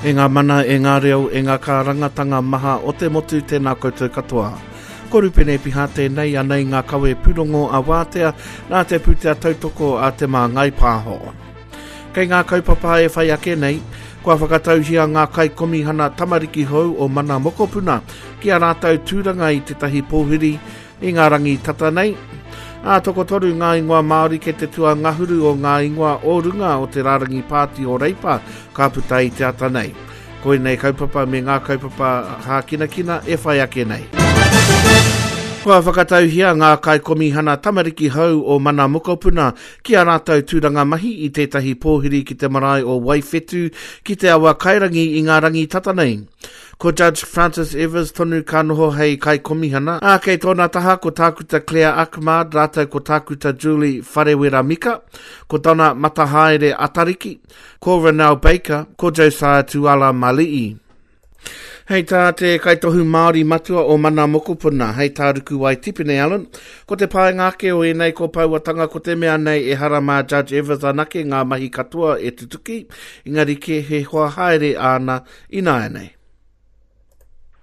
E ngā mana, e ngā reo, e ngā kārangatanga maha o te motu, tēnā koutou katoa. Ko Rupene Piha tēnei, anei ngā kawe pūrongo a Wātea, nā te pūtea tautoko a Te Māngai Pāho. Kei ngā kaupapa e whai ake nei, kua whakatauhia ngā kaikomihana tamariki hou o Mana Mokopuna ki a rātou tūranga i tētahi pōhiri I ngā rangi tata nei, ā, tokotoru ngā ingoa Māori kei te tuangahuru o ngā ingoa o runga o te rārangi pāti o Reipa ka puta i te ata nei. Koinei kaupapa me ngā kaupapa hākinakina e whai ake nei. Kua whakatauhia ngā kaikomihana tamariki hou o Mana Mokopuna ki ā rātou tūranga mahi i tētahi pōhiri ki te marae o Waiwhetū ki Te Awakairangi i ngā rangi tata nei. Ko Judge Francis Evers tonu ka noho hei Kaikomihana, ā, kei tōna taha ko Tākuta Claire Ahmad rātou ko Tākuta Julie Wharewera Mika, ko Donna Matahaere Atariki, ko Renelle Baker, ko Josiah Tuala Mali'i. Hei tā te Kaitohu Māori Matua o Mana Mokopuna, hei tā Rukuwai Tipene Allen, ko te painga ake o ēnei kōpauatanga ko te mea nei ehara mā Judge Evers anake ngā mahi katoa e tutuki, engari kē he hoa haere āna ināianei.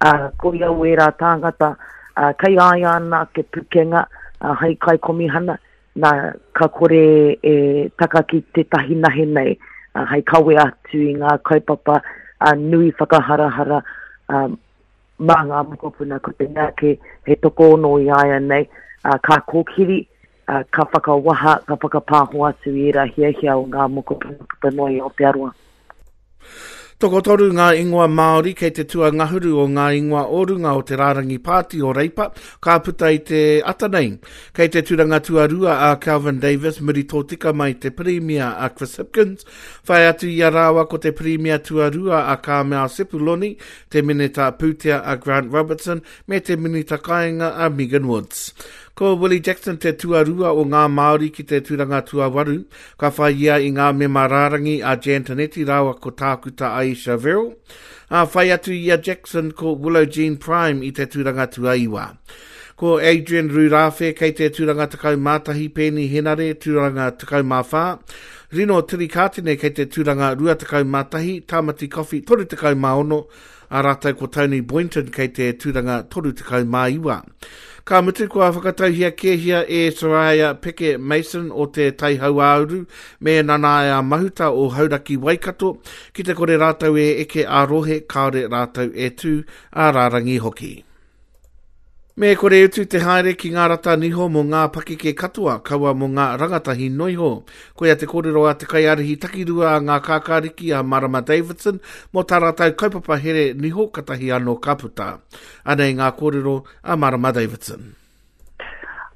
Ā, ko ia o ērā tāngata, ā, kei a ia ana ake pukenga, ā, hei kaikomihana, nā, ka kore e taka ki tētahi nahe nei, ā, hei kawe atu i ngā kaupapa, ā, nui whakaharahara, ā, mā ngā mokopuna, ko te mea kē, he tokoono i a ia nei, ā, ka kōkiri, ā, ka whakawaha, ka whakapāho atu i ērā hiahia o ngā mokopuna puta noa i Aotearoa. Tokotoru ngā ingoa Māori kei te tuangahuru o ngā ingoa o runga o te rārangi pāti o Reipa ka puta i te ata nei. Kei te tūranga tuarua a Kelvin Davis muri tōtika mai te Pirimia a Chris Hipkins, whai atu i a rāua ko te Pirimia tuarua a Carmel Sepuloni, te Minita Pūtea a Grant Robertson me te Minita Kāinga a Megan Woods. Ko Willie Jackson te tuarua o ngā Māori ki te tūranga tuawaru, Ka whai ia i ngā mema rārangi a Jan Tinetti rāua ko Tākuta Ayesha Verrall, ā, whai atu i a Jackson ko Willow Jean Prime i te tūranga tuaiwa. Ko Adrian Rurawhe kei te tūranga 11, Peeni Henare tūranga 14, Rino Tirikatene kei te tūranga 21, Tāmati Coffey 36, ā rātou ko Tony Boynton kei te tūranga 39. Ka mutu kua whakatauhia kēhia e Soraya Peke Mason o Te Tai Hauāuru me Nanaia Mahuta o Hauraki Waikato, ki te kore rātou e eke ā-rohe kāore rātou e tū ā-rārangi hoki. Me kore utu te haere ki ngā rata niho mō ngā pakeke katoa, kaua mō ngā rangatahi noiho. Koia te kōrero a te kaiārahi takirua a Ngā Kākāriki a Marama Davidson mō tā rātou kaupapa here niho katahi anō ka puta. Anei ngā kōrero a Marama Davidson.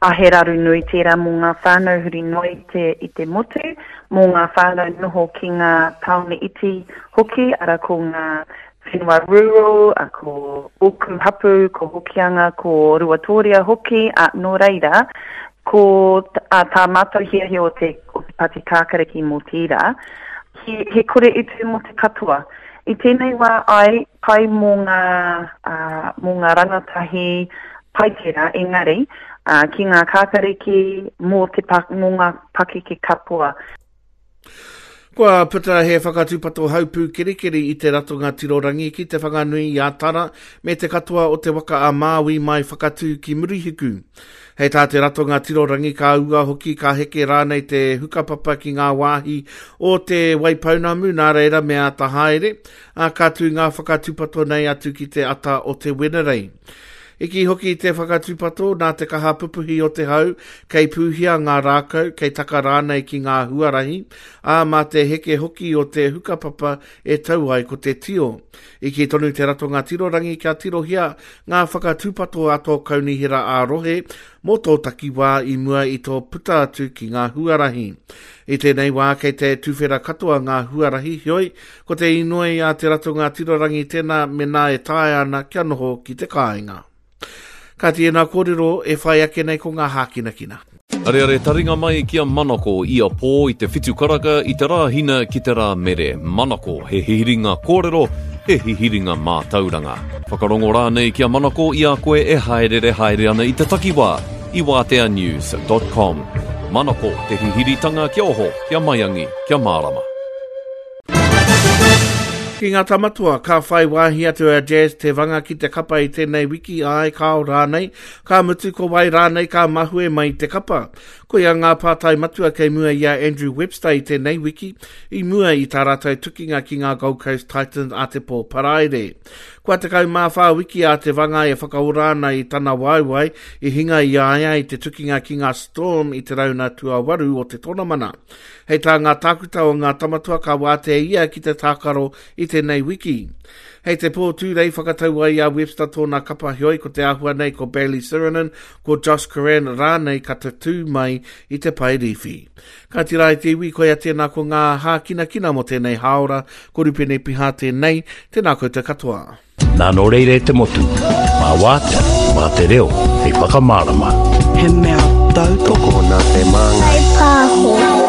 A he raru nui tērā mō ngā whānau huri noa i te, i te motu, mō ngā whānau noho ki ngā tāone iti hoki, ara ko ngā whenua rural, a ko ōku hapū, ko Hokianga, ko Ruatōria hoki, a nō reira, ko a, tā mātou hiahia o te, o te Pati Kākariki mō tērā, he, he kore utu mō te katoa. I tēnei wā ai, pai mō ngā, ā, mō ngā rangatahi, pai tērā, engari, ā, ki ngā kākariki, mō te, mō ngā pakeke katoa. Kua puta he whakatūpato haupū kerikeri i te ratonga tirorangi ki Te Whanganui i a Tara me te katoa o te waka a Māui mai Whakatū ki Murihiku. Hei tā te ratonga tirorangi ka ua hoki ka heke rānei te hukapapa ki ngā wāhi o Te Waipounamu nā reira me āta haere, ā, ka tū ngā whakatūpato nei atu ki te ata o te Wenerei. I kī hoki te whakatūpato nā te kaha pupuhi o te hau, kei pūhia ngā rākau, kei taka rānei ki ngā huarahi, ā, mā te heke hoki o te hukapapa e tau ai ko te tio. I kī tonu te Ratonga Tirorangi kia tirohia ngā whakatūpato a tō kaunihera ā-rohe mō tō takiwā i mua i tō puta atu ki ngā huarahi. I tēnei wā kei te tuwhera katoa ngā huarahi, heoi, Ko te inoi a Te Ratonga Tirorangi tēnā menā e taea ana kia noho ki te kāinga. Kāti ēnā kōrero e whai ake nei ko ngā hākinakina. Areare taringa mai ki a Manako ia pō i te whitu karaka i te Rāhina ki te Rāmere. Manako, he hihiringa kōrero, he hihiringa mātauranga. Whakarongo rānei ki a Manako i a koe e hāereere haere ana i te takiwā i wāteanews dot com. Manako, te hihiritanga kia oho, kia maiangi, kia mārama. Ki ngā tamatoa, ka whai wāhi atu a Jazz Te Vanga ki te kapa i tēnei wiki, āe, kāo rānei, ka mutu ko wai rānei ka mahue mai te kapa. Koia ngā pātai matua kei mua i a Andrew Webster i tēnei wiki, i mua i tā rātou tukinga ki ngā Gold Coast Titans a te pō Paraire. Kua 14 wiki a Te Vanga e whakaora ana i tana waewae i hinga i a ia i te tukinga ki ngā Storm i te rauna tuawaru o te tonamana. Hei tā ngā tākuta o ngā Tamatoa ka wātea ia ki te tākaro i tēnei wiki. Hei te pō Tūrei whakatau ai a Webster tōna kapa heoi ko te āhua nei ko Bayley Sironen, ko Josh Curran rānei ka tatū mai i te pae rīwhi. Ka tira e te iwi, koia tēnā ko ngā hākinakina mō tēnei hāora, ko Rupene Piha tēnei, tēnā koutou katoa. Nā nō reira e te motu, mā wātea, mā te reo, hei whakamārama. He mea tautoko Tokona te māngai. Whai pāho.